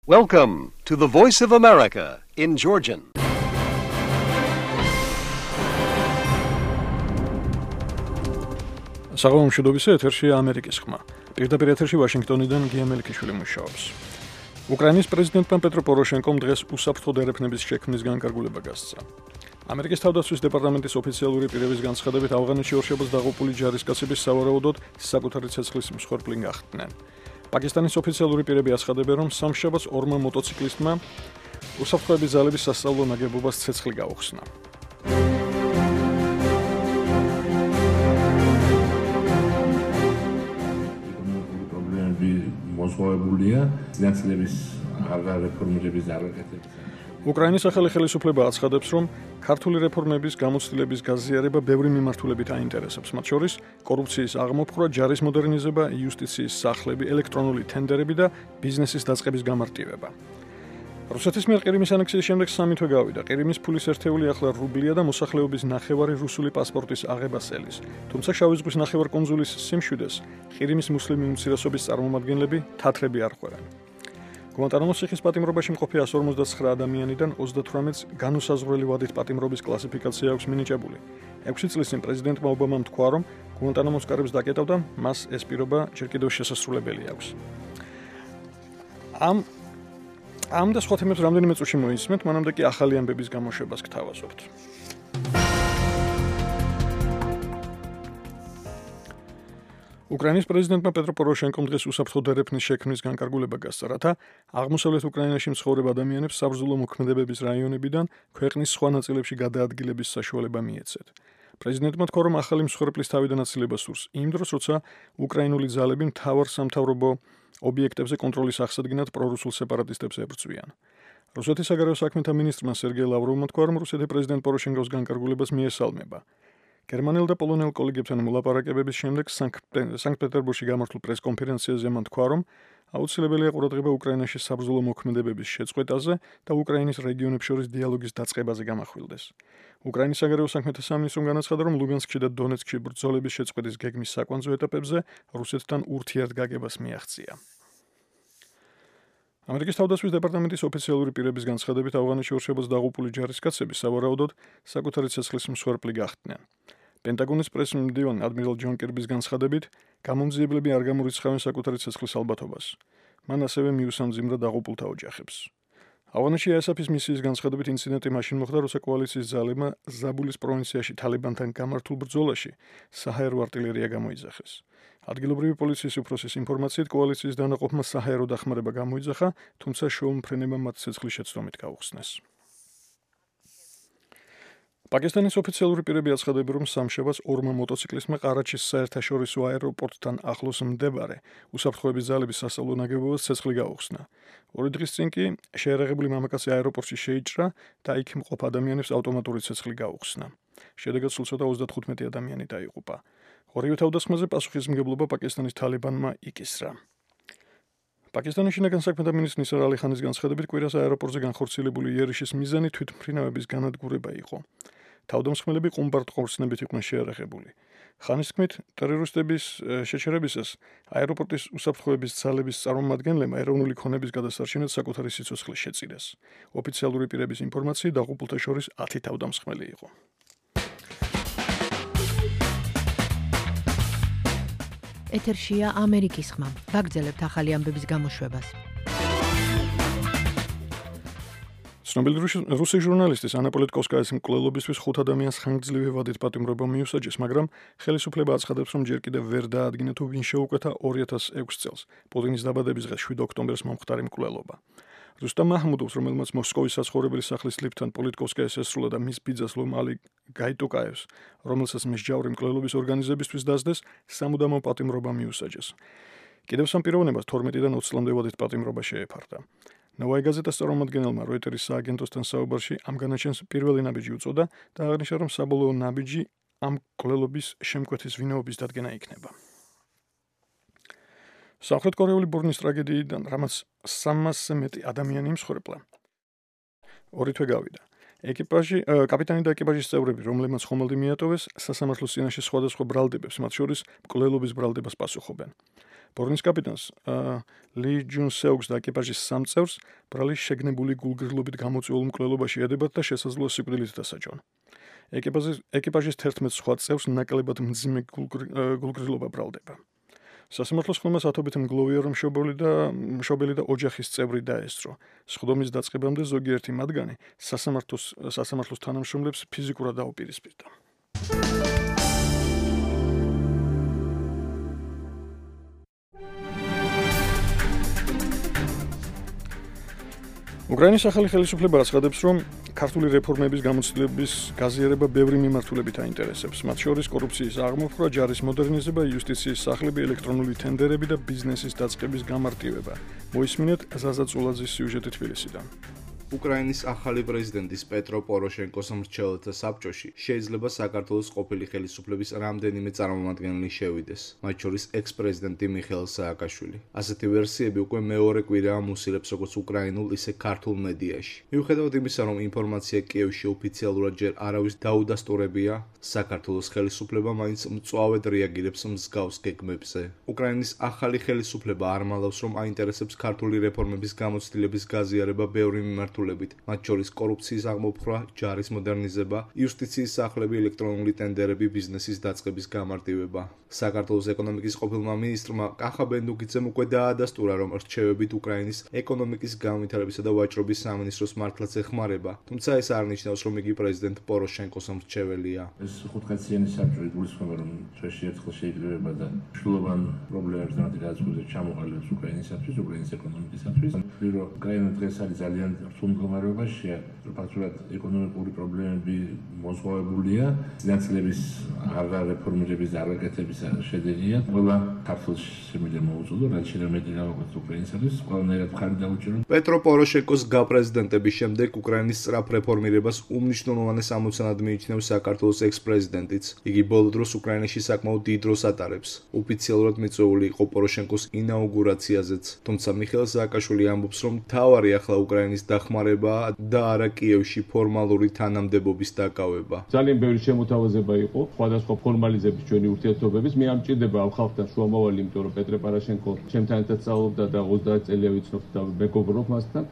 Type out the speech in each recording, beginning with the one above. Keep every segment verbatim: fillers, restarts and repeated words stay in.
Welcome to the Voice of America in Georgian. საღამო მშვიდობისა, ეთერშია ამერიკის ხმა. პირდაპირ ეთერში ვაშინგტონიდან გია მელიქიშვილი მუშაობს. უკრაინის პრეზიდენტმა პეტრო პოროშენკომ დღეს უსაფრთხო დერეფნების შექმნის განკარგულება გასცა. ამერიკის თავდაცვის დეპარტამენტის ოფიციალური პირების განცხადებით, ავღანეთში ორშაბათს დაღუპული ჯარისკაცების სავარაუდოდ საკუთარი ცეცხლის მსხვერპლი გახდნენ. პაკისტანის ოფიციალური პირები აცხადებენ, რომ სამშაბათს ორმა მოტოციკლისტმა უსაფრთხოების ძალების სასწავლო ნაგებობას ცეცხლი გაუხსნა. მოსვავებულია ძნელების რეფორმირების დაგაკეთება. უკრაინის ახალი ხელისუფლება აცხადებს, რომ ქართული რეფორმების გამოცდილების გაზიარება ბევრი მიმართულებით აინტერესებს, მათ შორის კორუფციის აღმოფხვრა, ჯარის მოდერნიზება, იუსტიციის სახლები, ელექტრონული თენდერები და ბიზნესის დაწყების გამარტივება. რუსეთის მიერ ყირიმის ანექსიის შემდეგ სამი თვე გავიდა. ყირიმის ფულის ერთეული ახლა რუბლია და მოსახლეობის ნახევარი რუსული პასპორტის აღებას ელის. თუმცა შავი ზღვის ნახევარკუნძულის სიმშვიდეს ყირიმის მუსლიმი უმცირესობის წარმომადგენლები თათრები არ ხვერენ. გუანტანამოს ციხის პატიმრობაში მყოფი εκατს ორმოცდაცხრა ადამიანიდან ოცდათვრამეტს განუსაზღვრელი ვადით პატიმრობის კლასიფიკაცია აქვს მინიჭებული. ექვსი წლის წინ პრეზიდენტმა ობამამ თქვა, რომ გუანტანამოს კარებს დაკეტავდა, მას ეს პირობა ჯერ კიდევ შესასრულებელი აქვს. ამ ამ და სხვა თემებს რამდენიმე წუთში მოისმენთ, მანამდე კი ახალი ამბების გამოშვებას გთავაზობთ. უკრაინის პრეზიდენტმა პეტრო პოროშენკომ დღეს უსაფრთხო დერეფნის შექმნის განკარგულება გასცა, რათა აღმოსავლეთ უკრაინაში მცხოვრებ ადამიანებს საბრძოლო მოქმედებების რაიონებიდან ქვეყნის სხვა ნაწილებში გადაადგილების საშუალება მიეცეთ. პრეზიდენტმა თქვა, რომ ახალი მსხვერპლის თავიდან აცილება სურს იმ დროს, როცა უკრაინული ძალები მთავარ სამთავრობო ობიექტებზე კონტროლის აღსადგენად პრორუსულ სეპარატისტებს ებრძვიან. რუსეთის საგარეო საქმეთა მინისტრმა სერგეი ლავროვმა თქვა, რომ რუსეთი პრეზიდენტ პოროშენკოს განკარგულებას მიესალმება. გერმანელ და პოლონელ კოლეგებთან მოლაპარაკებების შემდეგ სანქტ-პეტერბურგში გამართულ პრესკონფერენციაზე მან თქვა, რომ აუცილებელია ყურადღება უკრაინაში საბრძოლო მოქმედებების შეწყვეტაზე და უკრაინის რეგიონებს შორის დიალოგის დაწყებაზე გამახვილდეს. უკრაინის საგარეო საქმეთა სამინისტრომ განაცხადა, რომ ლუგანსკში და დონეცკში ბრძოლების შეწყვეტის გეგმის საკვანძო ეტაპებზე რუსეთთან ურთიერთგაგებას მიაღწია. ამერიკის თავდაცვის დეპარტამენტის ოფიციალური პირების განცხადებით, ავღანეთში ორშაბათს დაღუპული ჯარისკაცები სავარაუდოდ საკუთარი ცეცხლის მსხვერპლი გახდნენ. პენტაგონის პრეს-მდივანი ადმირალ ჯონ კირბის განცხადებით, გამომძიებლები არ გამორიცხავენ საკუთარი ცეცხლის ალბათობას. მან ასევე მიუსამძიმრა დაღუპულთა ოჯახებს. ავღანეთში აესაფის მისიის განცხადებით, ინციდენტი მაშინ მოხდა, როცა კოალიციის ძალებმა ზაბულის პროვინციაში თალიბანთან გამართულ ბრძოლაში საჰაერო არტილერია გამოიძახეს. ადგილობრივი პოლიციის უფროსის ინფორმაციით, კოალიციის დანაყოფმა საჰაერო დახმარება გამოიძახა, თუმცა შოუმფრენებმა მათ ცეცხლის შეცდომით გაუხსნეს. პაკისტანის ოფიციალური პირები აცხადებენ, რომ სამშაბათს ორმა მოტოციკლისტმა ყარაჩის საერთაშორისო აეროპორტთან ახლოს მდებარე უსაფრთხოების ძალების სასწავლო ნაგებობას ცეცხლი გაუხსნა. ორი დღის წინ კი შეერაღებული მამაკაცი აეროპორტში შეიჭრა და იქ მყოფ ადამიანებს ავტომატური ცეცხლი გაუხსნა. შედეგად სულ ცოტა ოცდათხუთმეტი ადამიანი დაიღუპა. ორივე თავდასხმაზე პასუხისმგებლობა პაკისტანის თალიბანმა იკისრა. პაკისტანის შინაგან საქმეთა მინისტრის ნისარ ალი ხანის განცხადებით, კვირას აეროპორტზე განხორციელებული იერიშის მიზანი თვითმფრინავების განადგურება იყო. თავდამსხმელები ყუმბარდ ყორცნებით იყვნენ შეარაღებული. ხანის თქმით, ტერორისტების შეჩერებისას აეროპორტის უსაფრთხოების ძალების წარმომადგენლებმა ეროვნული ქონების გადასარჩენად საკუთარი სიცოცხლე შეწირეს. ოფიციალური პირების ინფორმაციით, დაღუპულთა შორის ათი თავდამსხმელი იყო. ეთერშია ამერიკის ხმა. ვაგრძელებთ ახალი ამბების გამოშვებას. ცნობილი რუსი ჟურნალისტის ანა პოლიტკოვსკაის მკვლელობისთვის ხუთ ადამიანს ხანგრძლივი ვადით პატიმრობა მიუსაჯეს, მაგრამ ხელისუფლება აცხადებს, რომ ჯერ კიდევ ვერ დაადგინა თუ ვინ შეუკვეთა ორი ათას ექვსი წელს პუტინის დაბადების დღეს შვიდ ოქტომბერს მომხდარი მკვლელობა. რუსტამ მაჰმუდოვს, რომელმაც მოსკოვის საცხოვრებელი სახლის ლიფტთან პოლიტკოვსკაის ესრულა და მის ბიძას ლომალი გაიტოკაევს, რომელსაც მსჯავრი მკვლელობის ორგანიზებისთვის დასდეს, სამუდამო პატიმრობა მიუსაჯეს. კიდევ სამ პიროვნებას თორმეტიდან ოცი წლამდე ვადით პატიმრობა შეეფარდა. ნოვაი გაზეტას წარმომადგენელმა როიტერის სააგენტოსთან საუბარში ამ განაჩენს პირველი ნაბიჯი უწოდა და აღნიშნა, რომ საბოლოო ნაბიჯი ამ მკვლელობის შემკვეთის ვინაობის დადგენა იქნება. სამხრეთ კორეული ბურნის ტრაგედიიდან, რამაც სამასზე მეტი ადამიანი მსხვერპლა, ორი თვე გავიდა. ეკიპაჟი, კაპიტანი და ეკიპაჟის წევრები, რომლებმაც ხომალდი მიატოვეს, სასამართლოს წინაშე სხვადასხვა ბრალდებებს, მათ შორის მკვლელობის ბრალდებას პასუხობენ. ბორნის კაპიტანს ლი ჯუნ სეუგს და ეკიპაჟის სამ წევრს ბრალის შეგნებული გულგრილობით გამოწვეულ მკვლელობაში ედებათ და შესაძლოა სიკვდილით დასაჯონ. ეკიპაჟის ეკიპაჟის თერთმეტ სხვა წევრს ნაკლებად მძიმე გულგრილობა ბრალდება. სასამართლოს ხმას ათობით მგლოვია, რომ მშობელი და მშობელი და ოჯახის წევრი დაესწრო. სხდომის დაწყებამდე ზოგიერთი მათგანი სასამართლოს სასამართლოს თანამშრომლებს ფიზიკურად დაუპირისპირდა. უკრაინის ახალი ხელისუფლება აცხადებს, რომ ქართული რეფორმების გამოცდილების გაზიარება ბევრი მიმართულებით აინტერესებს. მათ შორის კორუფციის აღმოფხვრა, ჯარის მოდერნიზება, იუსტიციის სახლები, ელექტრონული თენდერები და ბიზნესის დაწყების გამარტივება. მოისმინეთ ზაზა წულაძის სიუჟეტი თბილისიდან. უკრაინის ახალი პრეზიდენტის პეტრო პოროშენკოს მრჩეველთა საბჭოში შეიძლება საქართველოს ყოფილი ხელისუფლების რამდენიმე წარმომადგენელი შევიდეს, მათ შორის ექს-პრეზიდენტი მიხეილ სააკაშვილი. ასეთი ვერსიები უკვე მეორე კვირაა მუსილებს როგორც უკრაინულ, ისე ქართულ მედიაში. მიუხედავად იმისა, რომ ინფორმაცია კიევში ოფიციალურად ჯერ არავის დაუდასტურებია, საქართველოს ხელისუფლება მაინც მწვავედ რეაგირებს მსგავს გეგმებზე. უკრაინის ახალი ხელისუფლება არ მალავს, რომ აინტერესებს ქართული რეფორმების გამოცდილების გაზიარება ბევრი მიმართულებით, მათ შორის კორუფციის აღმოფხვრა, ჯარის მოდერნიზება, იუსტიციის სახლები, ელექტრონული ტენდერები, ბიზნესის დაწყების გამარტივება. საქართველოს ეკონომიკის ყოფილმა მინისტრმა კახა ბენდუკიძემ უკვე დაადასტურა, რომ რჩევებით უკრაინის ეკონომიკის განვითარებისა და ვაჭრობის სამინისტროს მართლაც ეხმარება, თუმცა ეს არ ნიშნავს, რომ იგი პრეზიდენტ პოროშენკოს მრჩეველია. ეს ხუთკაციანი საბჭო გულისხმობა, რომ ჩვენში ერთხელ შეიძლება და შულოვან პრობლემებს დამატებით გადაწყვეტილებას ჩამოყალიბებს უკრაინისათვის, უკრაინის ეკონომიკისათვის. რომ უკრაინა დღეს არის ძალიან რთულ მდგომარეობაშია, ფაქტურად ეკონომიკური პრობლემები მოზღვავებულია, სინაცილების აღარ რეფორმირების და არაკეთების შედეგია. ყველა ქართულს შემიძლია მოუწოდო, რაც შეიძლება მეტი გავაკეთოთ უკრაინისათვის, ყველანაირად მხარი დაუჭირო. პეტრო პოროშენკოს გაპრეზიდენტების შემდეგ უკრაინის სწრაფ რეფორმირებას უმნიშვნელოვანეს ამოცანად მიიჩნევს საქართველოს ექს-პრეზიდენტიც. იგი ბოლო დროს უკრაინაში საკმაოდ დიდ დროს ატარებს. ოფიციალურად მიწვეული იყო პოროშენკოს ინაუგურაციაზეც, თუმცა მიხეილ სააკაშვილი ამბობს, რომ მთავარი ახლა უკრაინის დახმარება და არა კიევში ფორმალური თანამდებობის დაკავება. ძალიან ბევრი შემოთავაზება იყო სხვადასხვა ფორმალიზების ჩვენი ურთიერთობების. მე ამ ჭირდება ამ ხალხთან შუამავალი, იმიტომ რომ პეტრე პოროშენკო ჩემთან ერთად სწავლობდა და ოცდაათ წელია ვიცნობ და მეგობრობ მასთან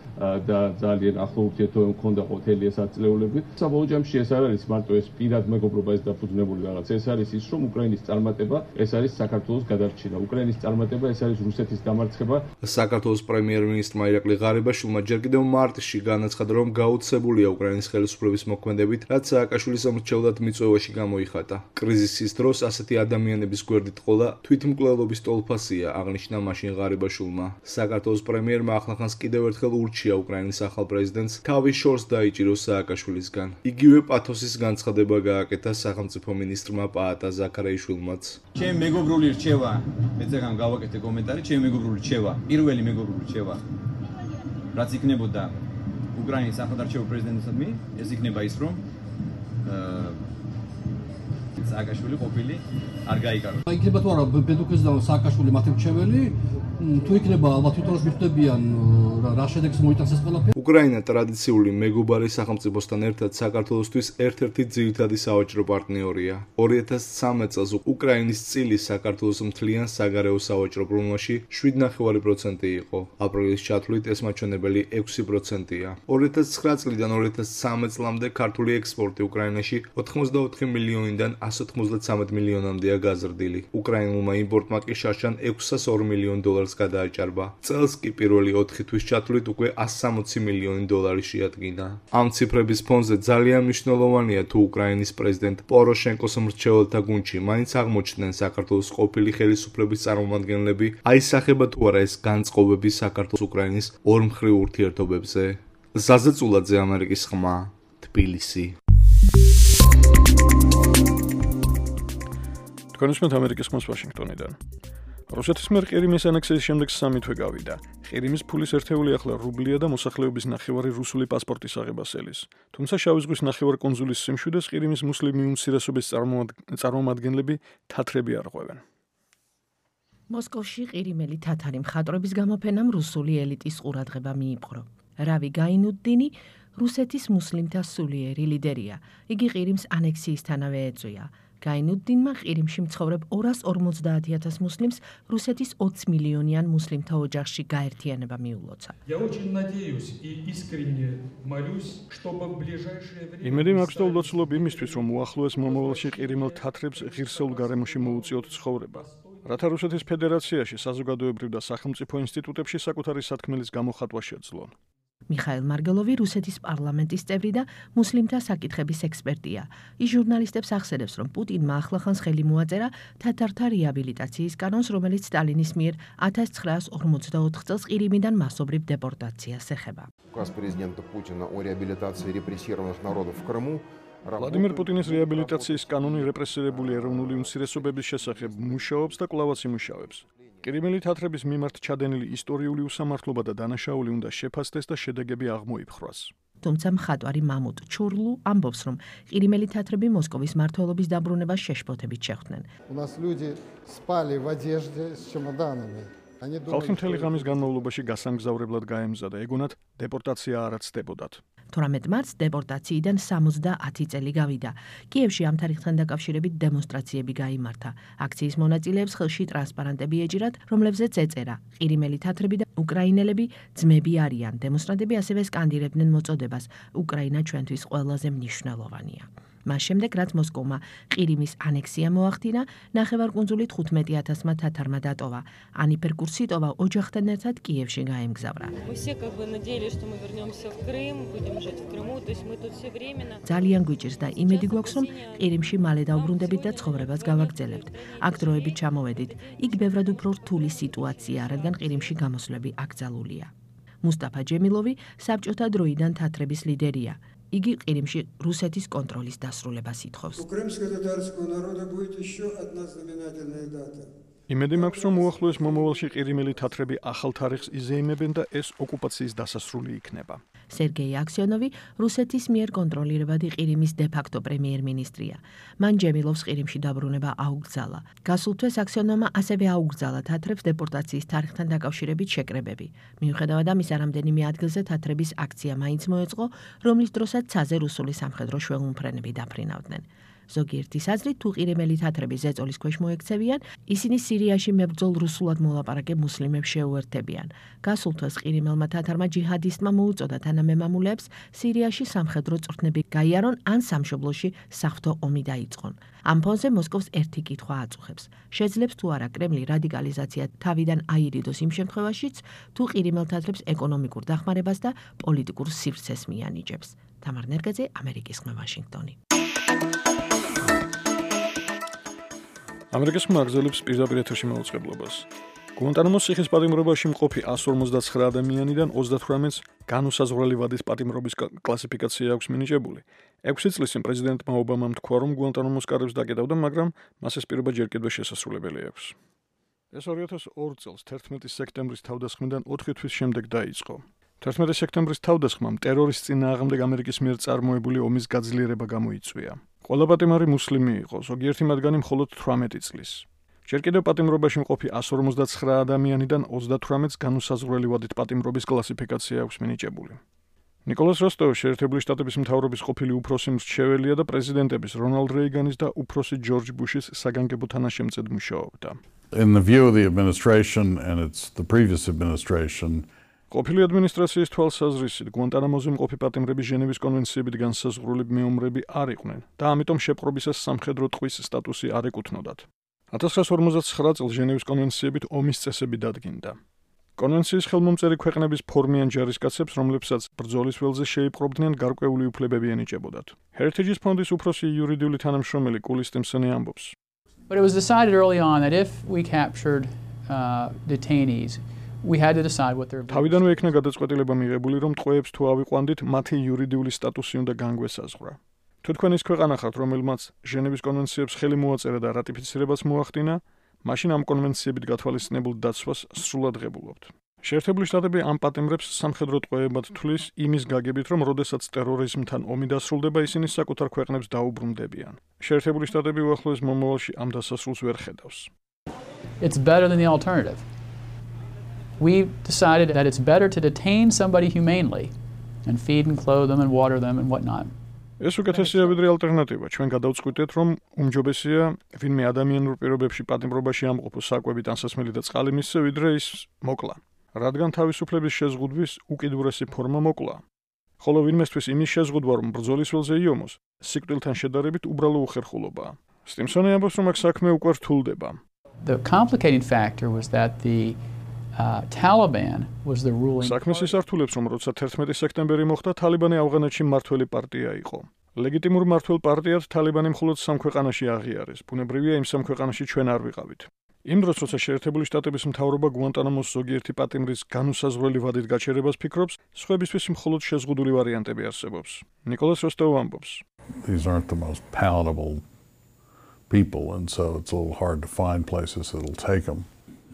და ძალიან ახლო ურთიერთობები მქონდა ყოთელი ეს ათწლეულები. საბოლოო ჯამში ეს არ არის მარტო ეს პირად მეგობრობა ეს დაფუძნებული რაღაც. ეს არის ის, რომ უკრაინის წარმატება ეს არის საქართველოს გადარჩენა. უკრაინის წარმატება ეს არის რუსეთის დამარცხება. საქართველოს პრემიერ-მინისტრმა ირაკლი ღარიბაშვილმა ჯერ კიდევ მარტში განაცხადა, რომ გაუცებულია უკრაინის ხელისუფლების მოქმედებით, რაც სააკაშვილის მრჩევლად მიწვევაში გამოიხატა. კრიზისის დროს ასეთი ადამიანების გვერდით ყოლა თვითმკვლელობის ტოლფასია, აღნიშნა მაშინ ღარიბაშვილმა. საქართველოს პრემიერმა ახლახანს კიდევ ერთხელ ურჩია უკრაინის ახალ პრეზიდენტს თავის შორს დაიჭიროს სააკაშვილისგან. იგივე პათოსის განცხადება გააკეთა სახელმწიფო მინისტრმა პაატა ზაქარაიშვილმაც. ჩემი მეგობრული რჩევა, მეცეგან გავაკეთე კომენტარი, ჩემი მეგობრული რჩევა, პირველი მეგობრული რჩევა, რაც იქნებოდა უკრაინის ახალდარჩეულ პრეზიდენტისადმი, ეს იქნება ის, რომ სააკაშვილი ყოფილი არ გაიკაროს. იქნება თუ არა ბედუქეს და სააკაშვილი მათი მრჩეველი, თუ იქნება ალბათ თვითონაც მიხვდებიან რა შედეგს მოიტანს ეს ყველაფერი. უკრაინა ტრადიციული მეგობარი სახელმწიფოსთან ერთად საქართველოსთვის ერთ-ერთი ძირითადი სავაჭრო პარტნიორია. ორი ათას ცხრამეტ წელს უკრაინის წილი საქართველოს მთლიან საგარეო სავაჭრო ბრუნვაში შვიდ ნახევარი პროცენტი იყო. აპრილის ჩათვლით ეს მაჩვენებელი ექვსი პროცენტია. ორი ათას ცხრა წლიდან ორი ათას ცხრამეტ წლამდე ქართული ექსპორტი უკრაინაში ოთხმოცდაოთხი მილიონიდან ასი ოცდათვრამეტ მილიონამდეა გაზრდილი. უკრაინულმა იმპორტმა კი შარშან ექვსას ორ მილიონ დოლარს გადააჭარბა. წელს კი პირველი ოთხი თვის ჩათვლით უკვე ასი სამოცი მილიონი დოლარი შეადგინა. ამ ციფრების ფონზე ძალიან მნიშვნელოვანია თუ უკრაინის პრეზიდენტ პოროშენკოს მრჩეველთა გუნდში მაინც აღმოჩნდნენ საქართველოს ყოფილი ხელისუფლების წარმომადგენლები, აისახება თუ არა ეს განწყობები საქართველოს უკრაინის ორმხრივ ურთიერთობებზე. ზაზა წულაძე, ამერიკის ხმა, თბილისი. თქვენ უსმენთ ამერიკის ხმას ვაშინგტონიდან. რუსეთის მიერ ყირიმის ანექსიის შემდეგ სამი თვე გავიდა. ყირიმის ფულის ერთეული ახლა რუბლია და მოსახლეობის ნახევარი რუსული პასპორტის აღებას ელის. თუმცა შავი ზღვის ნახევარკუნძულის სიმშვიდეს ყირიმის მუსლიმი უმცირესობის წარმომადგენლები თათრები არ ყვევენ. მოსკოვში ყირიმელი თათარი მხატვრების გამოფენამ რუსული ელიტის ყურადღება მიიპყრო. რავი გაინუდდინი რუსეთის მუსლიმთა სულიერი ლიდერია. იგი ყირიმს ანექსიისთანავე ეწვია. გაინუდდინმა ყირიმში მცხოვრებ ორას ორმოცდაათი ათას მუსლიმს რუსეთის ოცი მილიონიან მუსლიმთა ოჯახში გაერთიანება მიულოცა. იმედი მაქვს და ულოცულობ იმისთვის, რომ უახლოეს მომავალში ყირიმელ თათრებს ღირსეულ გარემოში მოუწიოთ ცხოვრება. რათა რუსეთის ფედერაციაში საზოგადოებრივ და სახელმწიფო ინსტიტუტებში საკუთარი სათქმელის გამოხატვა შეძლონ. მიხაილ მარგელოვი რუსეთის პარლამენტის წევრი და მუსლიმთა საკითხების ექსპერტია. ის ჟურნალისტებს ახსენებს, რომ პუტინმა ახლახანს ხელი მოაწერა თათართა რეაბილიტაციის კანონს, რომელიც სტალინის მიერ ათას ცხრაას ორმოცდაოთხ წელს ყირიმიდან მასობრივ დეპორტაციას ეხება. Указ президента Путина о реабилитации репрессированных народов в Крыму ვლადიმერ პუტინის რეაბილიტაციის კანონი რეპრესირებული ეროვნული უმცირესობების შესახებ მუშაობს და კვლავაც იმუშავებს. ყირიმელი თათრების მიმართ ჩადენილი ისტორიული უსამართლობა და დანაშაული უნდა შეფასდეს და შედეგები აღმოიფხრას. თუმცა მხატვარი მამუტ ჩურლუ ამბობს, რომ ყირიმელი თათრები მოსკოვის მმართველობის დაბრუნებას შეშფოთებით შეხვდნენ. ხალხი მთელი ღამის განმავლობაში გასამგზავრებლად გაემზადა, ეგონათ დეპორტაცია არ აცდებოდათ. თვრამეტ მარტს დეპორტაციიდან სამოცდაათი წელი გავიდა. კიევში ამ თარიღთან დაკავშირებით დემონსტრაციები გაიმართა. აქციის მონაწილეებს ხელში ტრანსპარანტები ეჭირათ, რომლებზეც ეწერა: ყირიმელი თათრები და უკრაინელები ძმები არიან. დემონსტრანტები ასევე სკანდირებდნენ მოწოდებას: უკრაინა ჩვენთვის ყველაზე მნიშვნელოვანია. მას შემდეგ, რაც მოსკოვმა ყირიმის ანექსია მოახდინა, ნახევარკუნძული თხუთმეტი ათასმა თათარმა დატოვა. ანიფერ კურსიტოვა ოჯახთან ერთად კიევში გაემგზავრა. ძალიან გვიჭირს და იმედი გვაქვს, რომ ყირიმში მალე დავბრუნდებით და ცხოვრებას გავაგრძელებთ. აქ დროებით ჩამოვედით. იქ ბევრად უფრო რთული სიტუაცია, რადგან ყირიმში გამოსვლები აკრძალულია. მუსტაფა ჯემილოვი საბჭოთა დროიდან თათრების ლიდერია. იგი ყირიმში რუსეთის კონტროლის დასრულებას ითხოვს. იმედი მაქვს, რომ უახლოეს მომავალში ყირიმელი თათრები ახალ თარიღს იზეიმებენ და ეს ოკუპაციის დასასრული იქნება. სერგეი აქსიონოვი რუსეთის მიერ კონტროლირებადი ყირიმის დე-ფაქტო პრემიერ-მინისტრია. მან ჯემილოვს ყირიმში დაბრუნება აუგზალა. გასულ თვეს აქსიონოვმა ასევე აუგზალა თათრებს დეპორტაციის თარიღთან დაკავშირებით შეკრებები. მიუხედავად ამისა, რამდენიმე ადგილზე თათრების აქცია მაინც მოეწყო, რომლის დროსაც ცაზე რუსული სამხედრო შველმფრენები დაფრინავდნენ. ზოგიერთის აზრით, თუ ყირიმელი თათრები ზეწოლის ქვეშ მოექცევიან, ისინი სირიაში მებრძოლ რუსულად მოლაპარაკე მუსლიმებს შეუერთებიან. გასულ თვეს ყირიმელმა თათარმა ჯიჰადისტმა მოუწოდა თანამემამულეებს სირიაში სამხედრო წვრთნები გაიარონ ან სამშობლოში საღვთო ომი დაიწყონ. ამ ფონზე მოსკოვს ერთი კითხვა აწუხებს. შეძლებს თუ არა კრემლი რადიკალიზაცია თავიდან აირიდოს იმ შემთხვევაშიც, თუ ყირიმელ თათრებს ეკონომიკურ დახმარებას და პოლიტიკურ სივრცეს მიანიჭებს. თამარ ნერგაძე, ამერიკის ხმა, ვაშინგტონი. ამერიკის ხმა აგრძელებს პირდაპირ ეთერში მაუწყებლობას. გუანტანამოს ციხის პატიმრობაში მყოფი εκατს ორმოცდაცხრა ადამიანიდან ოცდათვრამეტს განუსაზღვრელი ვადის პატიმრობის კლასიფიკაცია აქვს მინიჭებული. ექვსი წლის წინ პრეზიდენტმა ობამამ თქვა, რომ გუანტანამოს კარებს დაკეტავდა, მაგრამ მას ეს პირობა ჯერ კიდევ შესასრულებელი აქვს. ეს ორი ათას ორი წელს თერთმეტი სექტემბრის თავდასხმიდან ოთხი თვის შემდეგ დაიწყო. თერთმეტი სექტემბრის თავდასხმამ ტერორის წინააღმდეგ ამერიკის მიერ წარმოებული ომის გაძლიერება გამოიწვია. ყველა პატიმარი მუსლიმი იყო, ზოგიერთი მათგანი მხოლოდ თვრამეტი წლის. ჯერ კიდევ პატიმრობაში მყოფი εκατს ორმოცდაცხრა ადამიანიდან ოცდათვრამეტს განუსაზღვრელი ვადით პატიმრობის კლასიფიკაცია აქვს მინიჭებული. ნიკოლას როსტოვი შეერთებული შტატების მთავრობის ყოფილი უფროსი მრჩეველია და პრეზიდენტების რონალდ რეიგანის და უფროსი ჯორჯ ბუშის საგანგებო თანაშემწედ მუშაობდა. In the view of the administration and it's the previous administration, ყოფილი ადმინისტრაციის თვალსაზრისით, გუანტანამოზე მყოფი პატიმრების ჟენევის კონვენციებით განსაზღვრული მეომრები არ იყვნენ და ამიტომ შეპყრობისას სამხედრო ტყვის სტატუსი არ ეკუთვნოდათ. ათას ცხრაას ორმოცდაცხრა წელს ჟენევის კონვენციებით ომის წესები დადგინდა. კონვენციის ხელმომწერი ქვეყნების ფორმიან ჯარისკაცებს, რომლებსაც ბრძოლის ველზე შეიპყრობდნენ, გარკვეული უფლებები ენიჭებოდათ. Heritage ფონდის უფროსი იურიდიული თანამშრომელი კული სტიმსონი ამბობს. But it was decided early on that if we captured uh, detainees, we had to decide what their თავიდანვე იქნა გადაწყვეტილება მიღებული, რომ ტყვეებს თუ ავიყვანდით, მათი იურიდიული სტატუსი უნდა განგვესაზღვრა. თუ თქვენ ის ქვეყანა ხართ, რომელმაც ჟენევის კონვენციებს ხელი მოაწერა და რატიფიცირებას მოახდინა, მაშინ ამ კონვენციებით გათვალისწინებულ დაცვას სრულად ღებულობთ. შეერთებული შტატები ამ პატიმრებს სამხედრო ტყვეებად თვლის იმის გაგებით, რომ როდესაც ტერორიზმთან ომი დასრულდება, ისინი საკუთარ ქვეყნებს დაუბრუნდებიან. შეერთებული შტატები უახლოეს მომავალში ამ დასასრულს ვერ ხედავს. It's better than the alternative. We decided that it's better to detain somebody humanely and feed and clothe them and water them and whatnot ეს უკეთესია ვიდრე ალტერნატივა. ჩვენ გადავწყვიტეთ, რომ უმჯობესია ვინმე ადამიანურ პირობებში პატიმრობაში ამყოფოს საკვებით ანსასმელი და წყალი მისცე, ვიდრე ის მოკლა. რადგან თავისუფლების შეზღუდვის უკიდურესი ფორმა მოკლა. ხოლო ვინმესთვის იმის შეზღუდვა, რომ ბრძოლის ველზე იომოს, სიკვდილთან შედარებით უბრალო უხერხულობაა. სტიმსონი ამბობს, რომ აქ საქმე უკვე რთულდება. The complicating factor was that the uh, Taliban was the ruling საქმეს ისართულებს, რომ როცა თერთმეტი სექტემბერი მოხდა, თალიბანი ავღანეთში მმართველი პარტია იყო. ლეგიტიმურ მმართველ პარტიად თალიბანი მხოლოდ სამ ქვეყანაში აღიარეს. ბუნებრივია, იმ სამ ქვეყანაში ჩვენ არ ვიყავით. იმ დროს, როცა შეერთებული შტატების მთავრობა გუანტანამოს ზოგიერთი პატიმრის განუსაზღვრელი ვადით გაჩერებას ფიქრობს, სხვებისთვის მხოლოდ შეზღუდული ვარიანტები არსებობს. ნიკოლას როსტოვ ამბობს. These aren't the most palatable people, and so it's a little hard to find places that'll take them.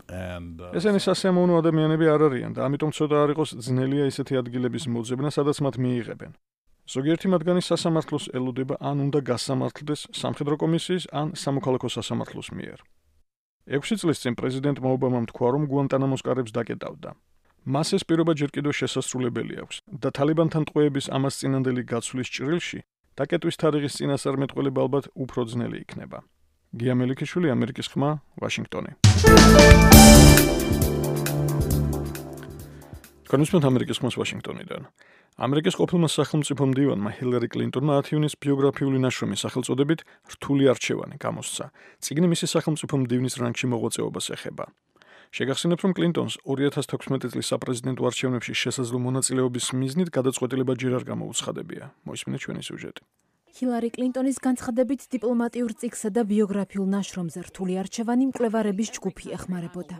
And uh, ესენი სასიამოვნო ადამიანები არ არიან და ამიტომ ცოტა არ იყოს ძნელია ისეთი ადგილების მოძებნა, სადაც მათ მიიღებენ. ზოგიერთი მათგანი სასამართლოს ელოდება ან უნდა გასამართლდეს სამხედრო კომისიის ან სამოქალაქო სასამართლოს მიერ. ექვსი წლის წინ პრეზიდენტმა ობამამ თქვა, რომ გუანტანამოს კარებს დაკეტავდა. მას ეს პირობა ჯერ კიდევ შესასრულებელი აქვს და თალიბანთან ტყვეების ამას წინანდელი გაცვლის ჭრილში დაკეტვის თარიღის წინასწარმეტყველება ალბათ უფრო ძნელი იქნება. გია მელიქიშვილი, ამერიკის ხმა, ვაშინგტონი. კონსტიტუცია ამერიკის ხმას ვაშინგტონიდან. ამერიკის ყოფილმა სახელმწიფო მდივანმა ჰილარი კლინტონმა ათი ივნისის ბიოგრაფიული ნაშრომი სახელწოდებით რთული არჩევანი გამოსცა. წიგნი მისი სახელმწიფო მდივნის რანგში მოღვაწეობას ეხება. შეგახსენებთ, რომ კლინტონს ორი ათას თექვსმეტი წლის საპრეზიდენტო არჩევნებში შესაძლო მონაწილეობის მიზნით გადაწყვეტილება ჯერ არ გამოუცხადებია. მოისმინეთ ჩვენი სიუჟეტი. ჰილარი კლინტონის განცხადებით დიპლომატიურ წიგნსა და ბიოგრაფიულ ნაშრომზე რთული არჩევანი მკვლევარების ჯგუფი ეხმარებოდა.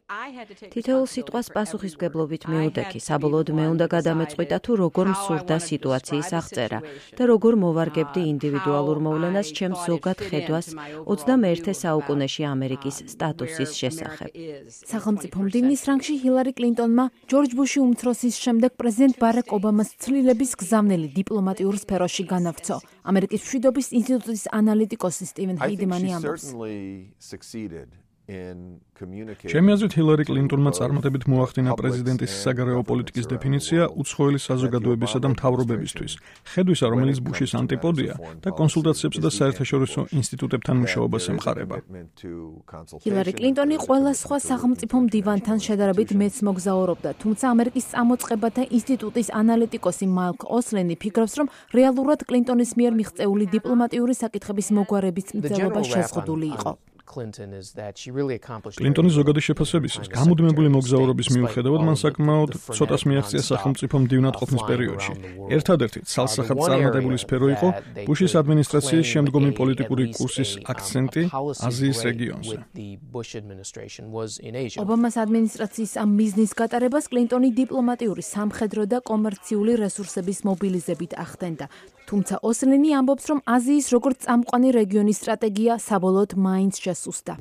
თითოეულ სიტყვას პასუხისმგებლობით მიუდექი. საბოლოოდ მე უნდა გადამეწყვიტა თუ როგორ მსურდა სიტუაციის აღწერა და როგორ მოვარგებდი ინდივიდუალურ მოვლენას ჩემს ზოგად ხედვას ოცდამეერთე საუკუნეში ამერიკის სტატუსის შესახებ. სახელმწიფო მდივნის რანგში ჰილარი კლინტონმა ჯორჯ ბუში უმცროსის შემდეგ პრეზიდენტ ბარაკ ობამას ცვლილების გზავნილი დიპლომატიურ სფეროში განავრცო. ამერიკის მშვიდობის ინსტიტუტის ანალიტიკოსი სტივენ ჰეიდმანი ამბობს. ჩემი აზრით ჰილარი კლინტონმა წარმატებით მოახდინა პრეზიდენტის საგარეო პოლიტიკის დეფინიცია უცხოელი საზოგადოებისა და მთავრობებისთვის, ხედვისა, რომელიც ბუშის ანტიპოდია და კონსულტაციებსა და საერთაშორისო ინსტიტუტებთან მუშაობას ემყარება. ჰილარი კლინტონი ყველა სხვა სახელმწიფო მდივანთან შედარებით მეც მოგზაურობდა, თუმცა ამერიკის წამოწყებათა ინსტიტუტის ანალიტიკოსი მაიკლ ოსლენი ფიქრობს, რომ რეალურად კლინტონის მიერ მიღწეული დიპლომატიური საკითხების მოგვარების მცდელობა შეზღუდული იყო. კლინტონის ზოგადი შეფასებისას, გამუდმებული მოგზაურობის მიუხედავად, მან საკმაოდ ცოტას მიაღწია სახელმწიფო მდივნად ყოფნის პერიოდში. ერთადერთი ცალსახად წარმატებული სფერო იყო ბუშის ადმინისტრაციის შემდგომი პოლიტიკური კურსის აქცენტი აზიის რეგიონზე. ობამას ადმინისტრაციის ამ მიზნის გატარებას კლინტონი დიპლომატიური, სამხედრო და კომერციული რესურსების მობილიზებით ახდენდა. თუმცა ოსლენი ამბობს, რომ აზიის როგორც წამყვანი რეგიონის სტრატეგია საბოლოოდ მაინც შესუსტა.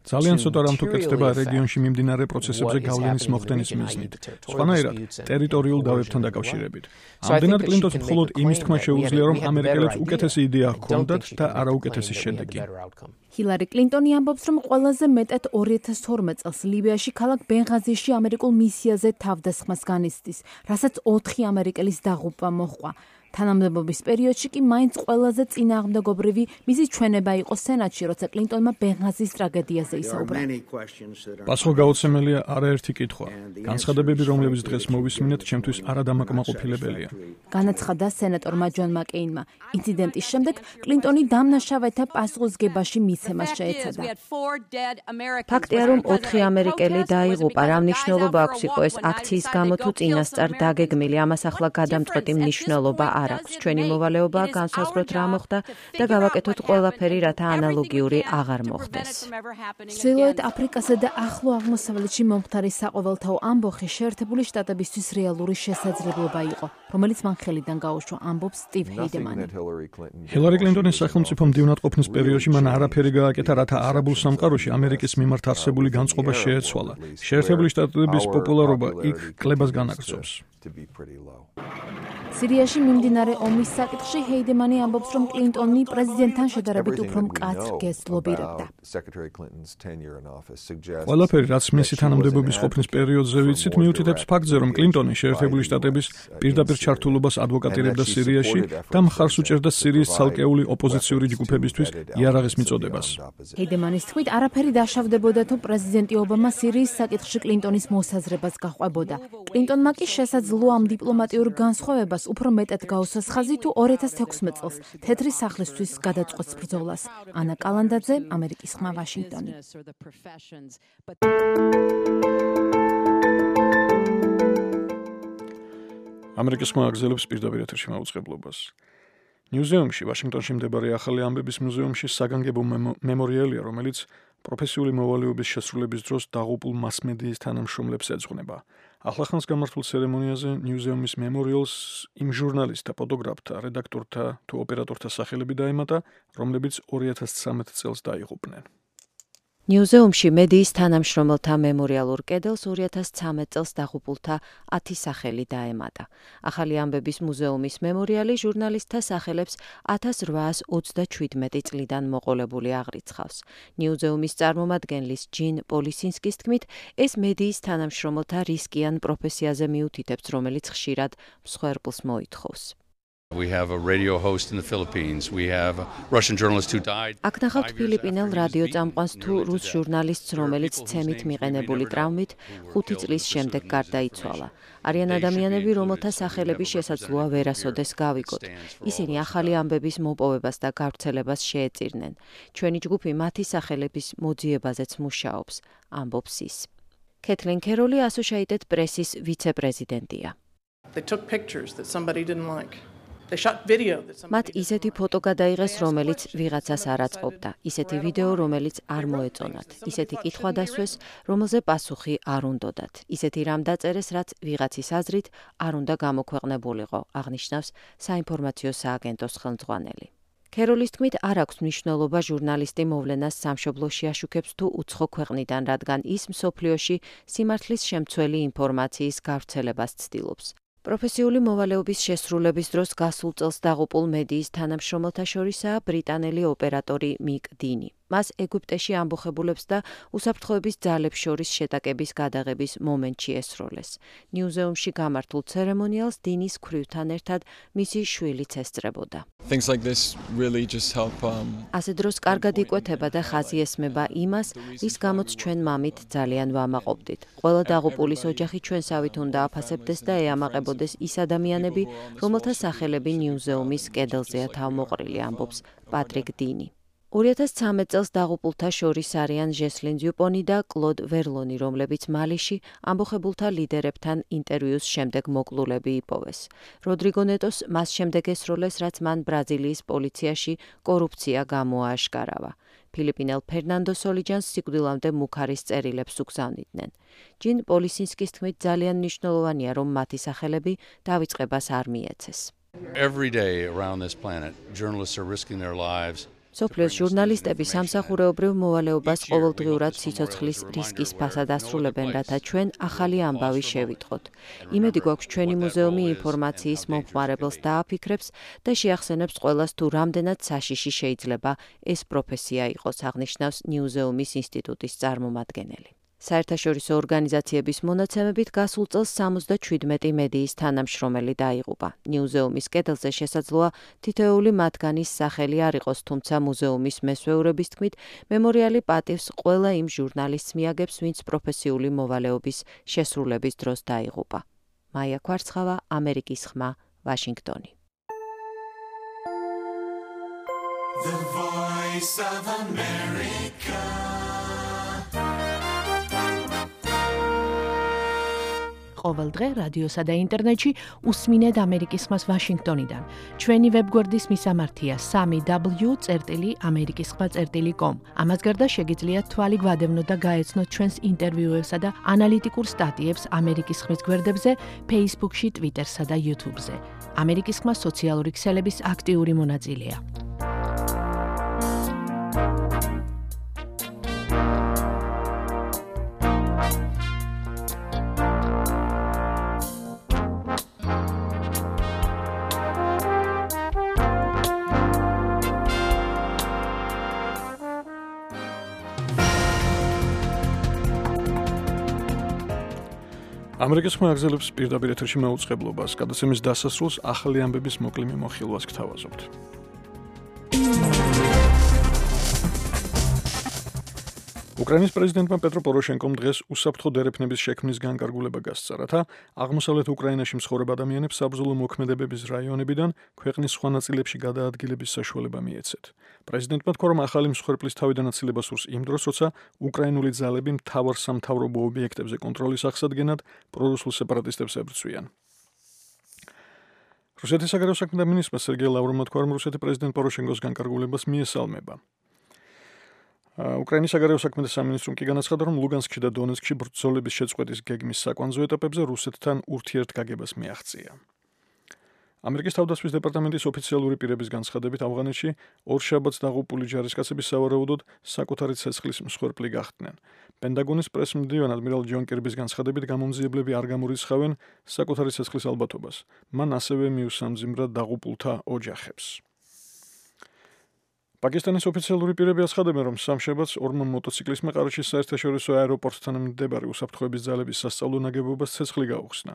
ძალიან ცოტა რამ თუ კეთდება რეგიონში მიმდინარე პროცესებზე გავლენის მოხდენის მიზნით, სხვანაირად ტერიტორიულ დავებთან დაკავშირებით. ამდენად კლინტონს მხოლოდ იმის თქმა შეუძლია, რომ ამერიკელებს უკეთესი იდეა ჰქონდათ და არაუკეთესი შედეგი. ჰილარი კლინტონი ამბობს, რომ ყველაზე მეტად ორი ათას თორმეტ წელს ლიბიაში ქალაქ ბენღაზიში ამერიკულ მისიაზე თავდასხმას განიცდის, რასაც ოთხი ამერიკელის დაღუპვა მოჰყვა. თანამდებობის პერიოდში კი მაინც ყველაზე წინააღმდეგობრივი მისი ჩვენება იყო სენატში, როცა კლინტონმა ბენღაზის ტრაგედიაზე ისაუბრა. პასუხგაუცემელია არაერთი კითხვა. განცხადებები, რომლებიც დღეს მოვისმინეთ, ჩემთვის არადამაკმაყოფილებელია. განაცხადა სენატორმა ჯონ მაკეინმა. ინციდენტის შემდეგ კლინტონი დამნაშავეთა პასუხისგებაში მიცემას შეეცადა. ფაქტია, რომ ოთხი ამერიკელი დაიღუპა. რა მნიშვნელობა აქვს იყო ეს აქციის გამო თუ წინასწარ დაგეგმილი, ამას ახლა გადამწყვეტი მნიშვნელობა არ აქვს. ჩვენი მოვალეობაა განსაზღვროთ რა მოხდა და გავაკეთოთ ყველაფერი, რათა ანალოგიური აღარ მოხდეს. ჩრდილოეთ აფრიკასა და ახლო აღმოსავლეთში მომხდარი საყოველთაო ამბოხი შეერთებული შტატებისთვის რეალური შესაძლებლობა იყო, რომელიც მან ხელიდან გაუშვა, ამბობს სტივ ჰეიდმანი. ჰილარი კლინტონის სახელმწიფო მდივნად ყოფნის პერიოდში მან არაფერი გააკეთა, რათა არაბულ სამყაროში ამერიკის მიმართ არსებული განწყობა შეეცვალა. შეერთებული შტატების პოპულარობა იქ კლებას განაგრძობს. სირიაში მიმდინარე ომის საკითხში ჰეიდემანი ამბობს, რომ კლინტონი პრეზიდენტთან შედარებით უფრო მკაცრ გესტს ლობირებდა. ყველაფერი, რაც მისი თანამდებობის ყოფნის პერიოდზე ვიცით, მიუთითებს ფაქტზე, რომ კლინტონი შეერთებული შტატების პირდაპირ ჩართულობას ადვოკატირებდა სირიაში და მხარს უჭერდა სირიის ცალკეული ოპოზიციური ჯგუფებისთვის იარაღის მიწოდებას. ჰეიდემანის თქმით, არაფერი დაშავდებოდა თუ პრეზიდენტი ობამა სირიის საკითხში კლინტონის მოსაზრებას გაყვებოდა. კლინტონმა კი შესაძლოა ამ დიპლომატიურ განსხვავებას უფრო მეტად გაუსვას ხაზი თუ ორი ათას თექვსმეტ წელს თეთრი სახლისთვის გადაწყვეტს ბრძოლას. ანა კალანდაძე, ამერიკის ხმა, ვაშინგტონი. ამერიკის ხმა აგზელებს პირდაპირ ეთერში მაუწყებლობას. ნიუზეუმში, ვაშინგტონში მდებარე ახალი ამბების მუზეუმში საგანგებო მემორიალია, რომელიც პროფესიული მოვალეობის შესრულების დროს დაღუპულ მასმედიის თანამშრომლებს ეძღვნება. ახლახანს გამართულ ცერემონიაზე ნიუზეუმის მემორიალს იმ ჟურნალისტთა, ფოტოგრაფთა, რედაქტორთა თუ ოპერატორთა სახელები დაემატა, რომლებიც ორი ათას ცხრამეტ წელს დაიღუპნენ. ნიუზეუმში მედიის თანამშრომელთა მემორიალურ კედელს ორი ათას ცხრამეტ წელს დაღუპულთა ათი სახელი დაემატა. ახალი ამბების მუზეუმის მემორიალი ჟურნალისტთა სახელებს ათას რვაას ოცდაშვიდმეტი წლიდან მოყოლებული აღრიცხავს. ნიუზეუმის წარმომადგენლის ჯინ პოლისინსკის თქმით, ეს მედიის თანამშრომელთა რისკიან პროფესიაზე მიუთითებს, რომელიც ხშირად მსხვერპლს მოითხოვს. We have a radio host in the Philippines. We have a Russian journalist who died. აქ ნახავთ ფილიპინელ რადიო წამყვანს თუ რუს ჟურნალისტს, რომელიც ცემით მიყენებული ტრავმით ხუთი წლის შემდეგ გარდაიცვალა. არიან ადამიანები, რომელთა სახელები შესაძლოა ვერასოდეს გავიგოთ. ისინი ახალი ამბების მოპოვებას და გავრცელებას შეეწირნენ. ჩვენი ჯგუფი მათი სახელების მოძიებაზეც მუშაობს, ამბობს ის. კეთლინ კეროლი Associated Press-ის ვიცე-პრეზიდენტია. They took pictures that somebody didn't like. მათ ისეთი ფოტო გადაიღეს, რომელიც ვიღაცას არ აწყობდა, ისეთი ვიდეო, რომელიც არ მოეწონათ, ისეთი კითხვა დასვეს, რომელზე პასუხი არ უნდოდათ, ისეთი რამ დაწერეს, რაც ვიღაცის აზრით არ უნდა გამოქვეყნებულიყო, აღნიშნავს საინფორმაციო სააგენტოს ხელმძღვანელი. კეროლის თქმით, არ აქვს მნიშვნელობა ჟურნალისტი მოვლენას სამშობლოში აშუქებს თუ უცხო ქვეყნიდან, რადგან ის მსოფლიოში სიმართლის შემცველი ინფორმაციის გავრცელებას ცდილობს. პროფესიული მოვალეობის შესრულების დროს გასულ წელს დაღუპულ მედიის თანამშრომელთა შორისაა ბრიტანელი ოპერატორი მიკ დინი. მას ეგვიპტეში ამბოხებულებს და უსაფრთხოების ძალებს შორის შეტაკების გადაღების მომენტში ესროლეს. ნიუზეუმში გამართულ ცერემონიალს დინის ქვრივთან ერთად მისი შვილიც ესწრებოდა. Things like this really just help um ასე დროს კარგად იკვეთება და ხაზი ესმება იმას, რის გამოც ჩვენ მამით ძალიან ვამაყობდით. ყველა დაღუპულის ოჯახი ჩვენსავით უნდა აფასებდეს და ეამაყებოდეს ის ადამიანები, რომელთა სახელები ნიუზეუმის კედელზეა თავმოყრილი, ამბობს პატრიკ დინი. ორი ათას ცხრამეტ წელს დაღუპულთა შორის არიან ჟესლინ დიუპონი და კლოდ ვერლონი, რომლებიც მალიში ამბოხებულთა ლიდერებთან ინტერვიუს შემდეგ მოკლულები იპოვეს. როდრიგო ნეტოს მას შემდეგ ესროლეს, რაც მან ბრაზილიის პოლიციაში კორუფცია გამოააშკარავა. ფილიპინელ ფერნანდო სოლიჯანს სიკვდილამდე მუქარის წერილებს უგზავნიდნენ. ჯინ პოლისინსკის თქმით, ძალიან მნიშვნელოვანია, რომ მათი სახელები დავიწყებას არ მიეცეს. Every day around this planet, journalists are risking their lives. სოფლიოს ჟურნალისტები სამსახურეობრივ მოვალეობას ყოველდღიურად სიცოცხლის რისკის ფასად ასრულებენ, რათა ჩვენ ახალი ამბავი შევიტყოთ. იმედი გვაქვს, ჩვენი მუზეუმი ინფორმაციის მომხმარებელს დააფიქრებს და შეახსენებს ყველას, თუ რამდენად საშიში შეიძლება ეს პროფესია იყოს, აღნიშნავს ნიუზეუმის ინსტიტუტის წარმომადგენელი. საერთაშორისო ორგანიზაციების მონაცემებით გასულ წელს სამოცდაშვიდმეტი მედიის თანამშრომელი დაიღუპა. ნიუზეუმის კედელზე შესაძლოა თითოეული მათგანის სახელი არ იყოს, თუმცა მუზეუმის მესვეურების თქმით, მემორიალი პატივს ყველა იმ ჟურნალისტს მიაგებს, ვინც პროფესიული მოვალეობის შესრულების დროს დაიღუპა. მაია კვარცხავა, ამერიკის ხმა, ვაშინგტონი. The Voice of America. ყოველ დღე რადიოსა და ინტერნეტში უსმინეთ ამერიკის ხმას ვაშინგტონიდან. ჩვენი ვებგვერდის მისამართია სამი დაბლიუ წერტილი ამერიკის ხმა წერტილი კომ. ამას გარდა შეგიძლიათ თვალი გვადევნოთ და გაეცნოთ ჩვენს ინტერვიუებსა და ანალიტიკურ სტატიებს ამერიკის ხმის გვერდებზე, Facebook-ში, Twitter-სა და YouTube-ზე. ამერიკის ხმა სოციალური ქსელების აქტიური მონაწილეა. ამერიკის ხმა აგზელებს პირდაპირ ეთერში მაუწყებლობას, გადაცემის დასასრულს ახალი ამბების მოკლე მიმოხილვას გთავაზობთ. უკრაინის პრეზიდენტმა პეტრო პოროშენკომ დღეს უსაფრთხო დერეფნების შექმნის განკარგულება გასცა, რათა აღმოსავლეთ უკრაინაში მცხოვრებ ადამიანებს საბრძოლო მოქმედებების რაიონებიდან ქვეყნის სხვა ნაწილებში გადაადგილების საშუალება მიეცეთ. პრეზიდენტმა თქვა, რომ ახალი მსხვერპლის თავიდან აცილება სურს იმ დროს, როცა უკრაინული ძალები მთავარ სამთავრობო ობიექტებზე კონტროლის აღსადგენად პრორუსულ სეპარატისტებს ებრძვიან. რუსეთის საგარეო საქმეთა მინისტრმა სერგეი ლავროვმა თქვა, რომ რუსეთი პრეზიდენტ პოროშენკოს განკარგულებას მიესალმება. უკრაინის საგარეო საქმეთა სამინისტრომ კი განაცხადა, რომ ლუგანსკში და დონეცკში ბრძოლების შეწყვეტის გეგმის საკვანძო ეტაპებზე რუსეთთან ურთიერთგაგებას მიაღწია. ამერიკის თავდაცვის დეპარტამენტის ოფიციალური პირების განცხადებით, ავღანეთში ორ შაბათს დაღუპული ჯარისკაცები სავარაუდოდ საკუთარი ცეცხლის მსხვერპლი გახდნენ. პენტაგონის პრესმდივან ადმირალ ჯონ კირბის განცხადებით, გამომძიებლები არ გამორიცხავენ საკუთარი ცეცხლის ალბათობას. მან ასევე მიუსამძიმრა დაღუპულთა ოჯახებს. პაკისტანის ოფიციალური პირები აცხადებენ, რომ სამშაბათს ორმა მოტოციკლისტმა ყარაჩის საერთაშორისო აეროპორტთან მდებარე უსაფრთხოების ძალების სასწავლო ნაგებობას ცეცხლი გაუხსნა.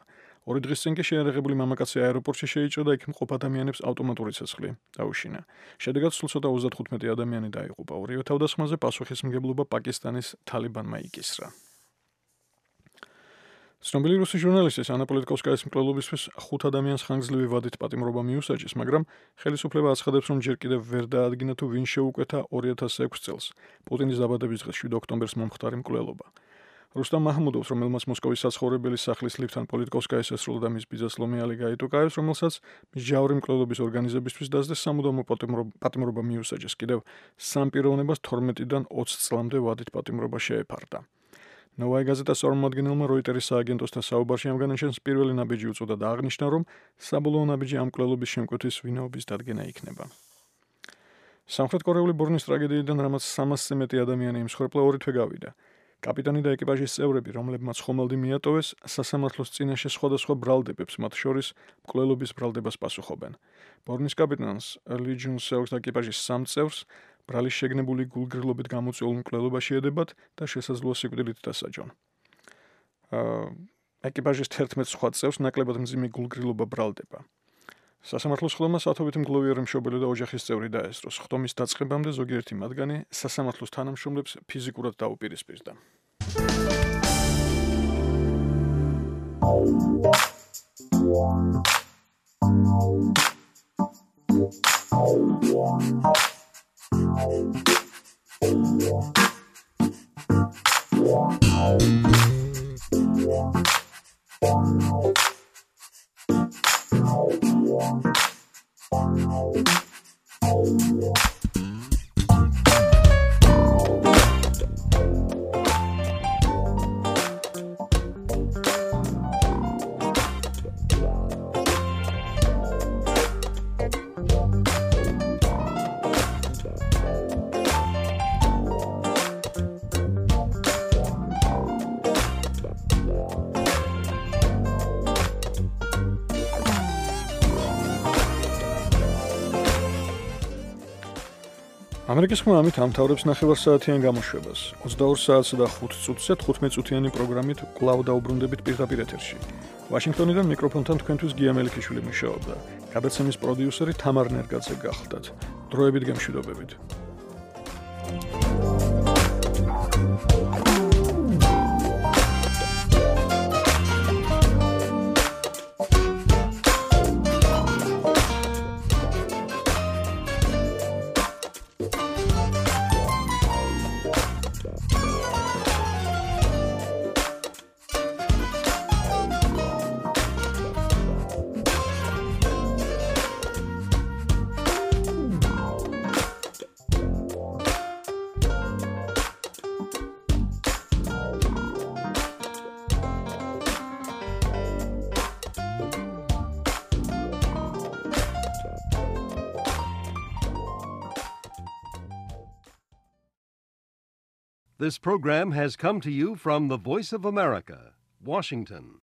ორი დღის წინ კი შეიარაღებული მამაკაცი აეროპორტში შეიჭრა და იქ მყოფ ადამიანებს ავტომატური ცეცხლი დაუშინა. შედეგად სულ ცოტა ოცდათხუთმეტი ადამიანი დაიღუპა. ორივე თავდასხმაზე პასუხისმგებლობა პაკისტანის თალიბანმა იკისრა. ცნობილი რუსი ჟურნალისტის ანა პოლიტკოვსკაის მკვლელობისთვის ხუთ ადამიანს ხანგრძლივი ვადით პატიმრობა მიუსაჯეს, მაგრამ ხელისუფლება აცხადებს, რომ ჯერ კიდევ ვერ დაადგინა თუ ვინ შეუკვეთა ორი ათას ექვსი წელს პუტინის დაბადების დღეს შვიდ ოქტომბერს მომხდარი მკვლელობა. რუსტამ მაჰმუდოვს, რომელმაც მოსკოვის საცხოვრებელი სახლის ლიფტთან პოლიტკოვსკაის ესრულა და მის ბიძას ლომიალი გაიტუკაევს, რომელსაც მსჯავრი მკვლელობის ორგანიზებისთვის დასდეს სამუდამო პატიმრობა მიუსაჯეს. კიდევ სამ პიროვნებას თორმეტიდან ოცი წლამდე ვადით პატიმრობა შეეფარდა. ნოვაი გაზეტას წარმომადგენელმა როიტერის სააგენტოსთან საუბარში ამ განაჩენს პირველი ნაბიჯი უწოდა და აღნიშნა, რომ საბოლოო ნაბიჯი ამ მკვლელობის შემკვეთის ვინაობის დადგენა იქნება. სამხრეთ კორეული ბორნის ტრაგედიიდან რამაც სამასზე მეტი ადამიანი იმსხვერპლა ორი თვე გავიდა. კაპიტანი და ეკიპაჟის წევრები, რომლებმაც ხომალდი მიატოვეს, სასამართლოს წინაშე სხვადასხვა ბრალდებებს, მათ შორის მკვლელობის ბრალდებას პასუხობენ. ბორნის კაპიტანს ლი ჯუნ სეუს და ეკიპაჟის სამ წევრს ბრალის შეგნებული გულგრილობით გამოწვეულ მკვლელობაში ედებათ და შესაძლოა სიკვდილით დასაჯონ. ეკიპაჟის თერთმეტ სხვა წევრს ნაკლებად მძიმე გულგრილობა ბრალდება. სასამართლოს ხელმა სათობითი მგლოვიერი მშობელი და ოჯახის წევრი დაესწროს. ხტომის დაწყებამდე ზოგიერთი მათგანი სასამართლოს თანამშრომლებს ფიზიკურად დაუპირისპირდა. ამერიკის ხმა ამით ამთავრებს ნახევარსაათიან გამოშვებას. ოცდაორ საათსა და ხუთ წუთზე თხუთმეტ წუთიანი პროგრამით კვლავ დაუბრუნდებით პირდაპირ ეთერში. ვაშინგტონიდან მიკროფონთან თქვენთვის გია მელიქიშვილი მუშაობდა. გადაცემის პროდიუსერი თამარ ნერგაძე გახლდათ. დროებით გემშვიდობებით. This program has come to you from the Voice of America, Washington.